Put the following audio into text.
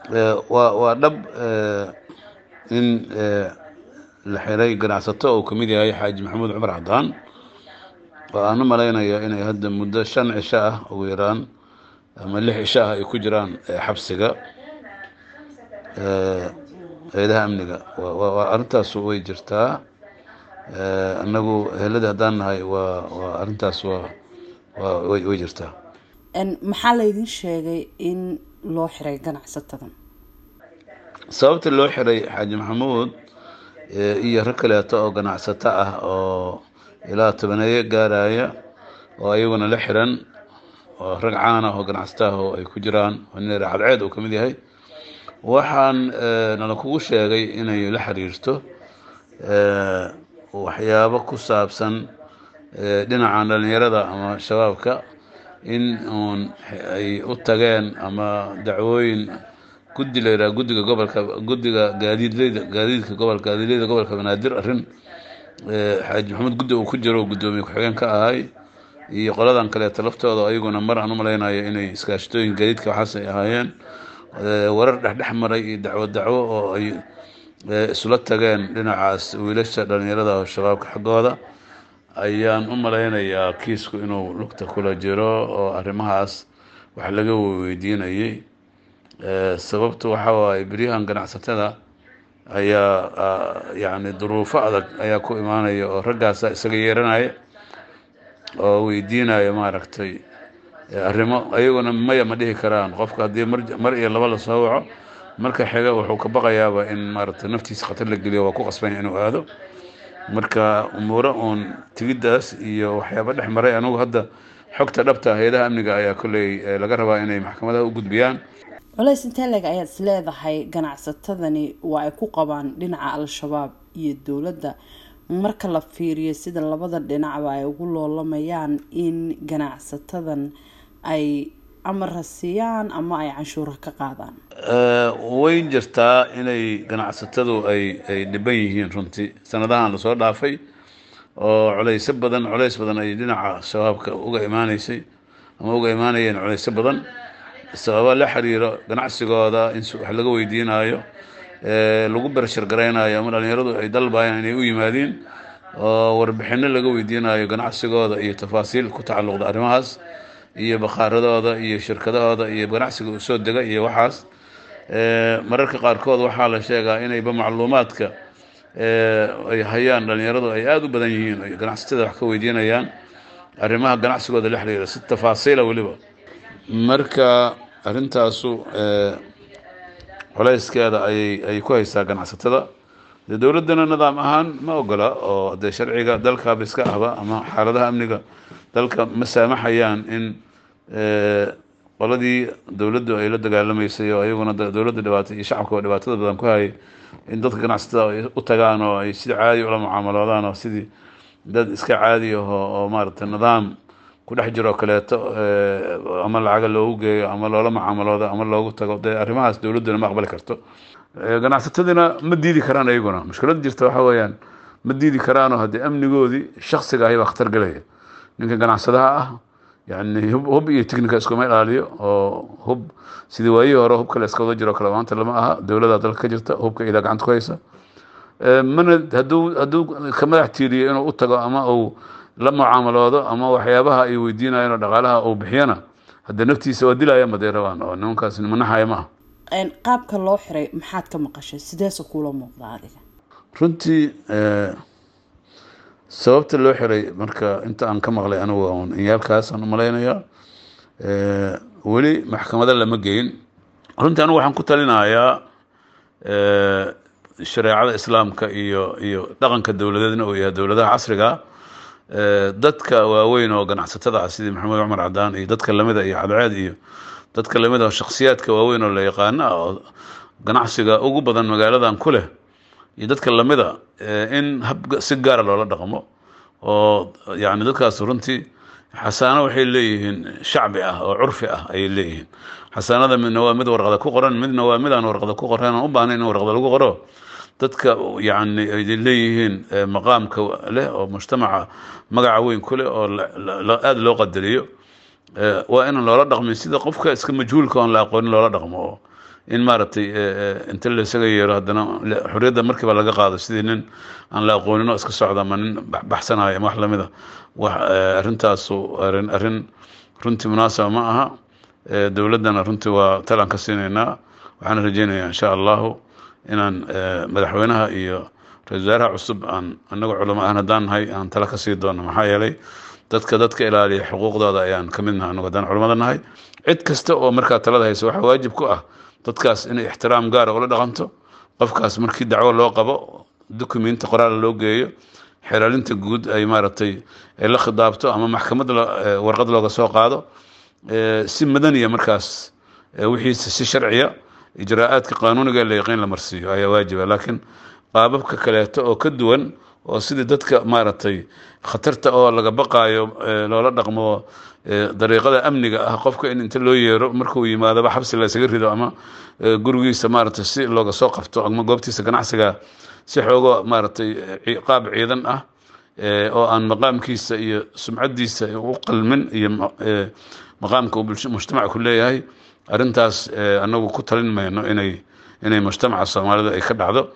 Waa dhab in la xiray ganacsato uu kamid yahay Xaaji Maxamuud Cumar Cadaan, oo aan u malaynaya inay hadda muddo 5 cisho ah ugu yaraan ama 6 cisho ah ay ku jiraan xabsiga hay-adaha amniga. Arrintaas way jirtaa. Annagu eheladii haddaan nahay, waa arrintaas waa way jirtaa. Maxaa laydin sheegay in loo xiray ganacsatadan? Sababta loo xiray Xaaji Maxamuud iyo rag kaleeto oo ganacsato ah oo ilaa tobaneeyo gaaraya oo ayaguna la xiran, oo rag caan ah oo ganacsato ah oo ay ku jiraan oo nin Cadceed uu kamid yahay, waxaan nala kugu sheegay inay la xiriirto waxyaabo ku saabsan dhinacan dhalinyarada ama shabaabka, in uun ay u tageen ama dacwooyin guddi la yidhaha guddiga gobolka, guddiga gaadiidleyda, gaadiidka gobolka, gaadiidleyda gobolka Banaadir, arrin Xaaji Maxamuud guddi uu ku jiro, guddoomiye ku-xigeen ka ahay, iyo qoladan kaleeto laftooda ayaguna mar aan u malaynayo inay iskaashatooyin gaadiidka waxaas ay ahaayeen, warar dhexdhex maray iyo dacwo dacwo oo ay isula tageen dhinacaas wiilasha dhalinyarada oo shabaabka xaggooda, ayaan u malaynayaa kiisku inuu lugta kula jiro oo arrimahaas wax laga weydiinayay. Sababtu waxa waaye, beryahan ganacsatada ayaa yacni duruufo adag ayaa ku imaanaya oo raggaasa isaga yeeranaya oo weydiinaya maaragtay arrimo, ayaguna maya ma dhihi karaan. Qofka haddii mar iyo laba lasoo waco, marka xiga wuxuu ka baqayaaba in maaragtay naftiisa khatar la geliyo, waa ku qasbanya inuu aado. Marka umuuro uun tigiddaas iyo waxyaaba dhex maray, anigu hadda xogta dhabta hay-adaha amniga ayaa kolley laga rabaa inay maxkamadaha u gudbiyaan. Culays intee leeg ayaad is leedahay ganacsatadani waa ay ku qabaan dhinaca Al-Shabaab iyo dowladda, marka la fiiriyo sida labada dhinacba ay ugu loolamayaan in ganacsatadan ay amara siiyaan ama ay canshuura ka qaadaan? Way jirtaa inay ganacsatadu ay dhiban yihiin runtii sanadahan lasoo dhaafay, oo culaysyo badan, culays badan ay dhinaca shabaabka uga imaaneysay ama uga imaanayeen, culaysyo badan sababa la xiriiro ganacsigooda, in wax laga weydiinayo, lagu bershar garaynayo, ama dhalinyaradu ay dalbayaan inay u yimaadiin oo warbixino laga weydiinayo ganacsigooda iyo tafaasiil ku tacalluqda arrimahaas iyo bakhaaradooda iyo shirkadahooda iyo ganacsiga uu soo dega iyo waxaas. Mararka qaarkood waxaa la sheegaa inayba macluumaadka ay hayaan dhalinyaradu ay aada u badan yihiin, ay ganacsatada wax ka weydiinayaan arrimaha ganacsigooda la xiriira si tafaasiila weliba. Marka arrintaasu culayskeeda ayay ku haysaa ganacsatada. Dee dowladdana nidaam ahaan ma ogola, oo dee sharciga dalkaaba iska ahba ama xaaladaha amniga dalka ma saamaxayaan in qoladii dowladdu ay la dagaalamaysay oo ayaguna dowladda dhibaata iyo shacabka dhibaatada badan ku hayay in dadka ganacsatada ay u tagaan oo ay sidii caadi ula mucaamaloodaan, oo sidii dad iska caadi aho oo maaragtay nidaam ku dhex jiro kaleeto ama lacaga loogu geeyo ama loola mucaamaloodo ama loogu tago. Dee arrimahaas dowladduna ma aqbali karto, ganacsatadina ma diidi karaan ayaguna. Mushkilada jirta waxa weeyaan, ma diidi karaanoo haddii amnigoodii shaksiga ahi baa khatar gelaya. Ninka ganacsadaha ah yani hub iyo technica iskuma ilaaliyo, oo hub sidii waayihii hore hubka la iska wada jiro kale maanta lama aha. Dowladda dalka ka jirta hubka idaa gacanta ku haysa, mana hadduu ka madax tiiriyo inuu u tago ama uu la mucaamaloodo ama waxyaabaha ay weydiinayaan oo dhaqaalaha uu bixiyana, haddee naftiisa waa dilaya maday rabaan, oo nimankaas nimanaxaya ma aha. Qaabka loo xiray maxaad ka maqashay? Sideese kuula muuqda adiga? Runtii sababta loo xiray marka inta aan ka maqlay anigu un inyaalkaasaan umalaynayaa, weli maxkamada lama geyin. Runtii anigu waxaan ku talinayaa shareecada Islaamka iyo dhaqanka dowladeedna uu yahay dowladaha casriga, dadka waaweyn oo ganacsatada ah sidii Maxamed Cumar Cadaan iyo dadka lamida iyo Cadceed iyo dadka lamida oo shakhsiyaadka waaweyn oo la yaqaano ah oo ganacsiga ugu badan magaaladan ku leh iyo dadka lamida, in hab si gaara loola dhaqmo, oo yani dadkaas runtii xasaano waxay leeyihiin shacbi ah oo curfi ah ayay leeyihiin. Xasaanada midna waa mid warqada ku qoran, midna waa mid aan warqada ku qoran, aan u baahnayn in warqada lagu qoro. Dadka yani ay leeyihiin maqaamka leh oo mujtamaca magaca weyn ku leh oo aada loo qadariyo, waa inaan loola dhaqmin sida qofka iska majhuulka oon la aqoonin loola dhaqmo, oo In maaragtay inta laysaga yeero haddana xorriyadda markiiba laga qaado sidii nin aan la aqoonin oo iska socda ama nin baxsanayo ama wax lamida, wax arrintaasu arrin runtii munaasaba ma aha. Dowladdana runtii waa talaan ka siinaynaa. Waxaan rajeynayaa insha Allahu inaan madaxweynaha iyo ra-isul wasaaraha cusub aan anaga culamo ahaan haddaan nahay aan tala ka sii doono, maxaa yeelay dadka ilaaliya xuquuqdooda ayaan ka mid nahay anagu haddaan culamada nahay. Cid kasta oo markaa talada haysa waxaa waajib ku ah dadkaas inay ixtiraam gaara ula dhaqanto. Qofkaas markii dacwo loo qabo, dukumenti qoraal loo geeyo, xeeraalinta guud ay maaragtay ay la khidaabto ama maxkamad warqad looga soo qaado, si madaniya markaas wixiisa si sharciya ijraa'aadka qaanuuniga la yaqiin la marsiiyo ayaa waajiba. Laakiin qaababka kaleeto oo ka duwan oo sidii dadka maaragtay khatarta oo laga baqaayo loola dhaqmo, dariiqada amniga ah, qofka in inta loo yeero markuu yimaadaba xabsi la isaga rido ama gurigiisa maaragtay si looga soo qabto ama goobtiisa ganacsiga si xoogo maaragtay qaab ciidan ah oo aan maqaamkiisa iyo sumcaddiisa u qalmin iyo maqaamka uu mujtamaca ku leeyahay, arrintaas anagu ku talin mayno inay mujtamaca Soomaalida ay ka dhacdo.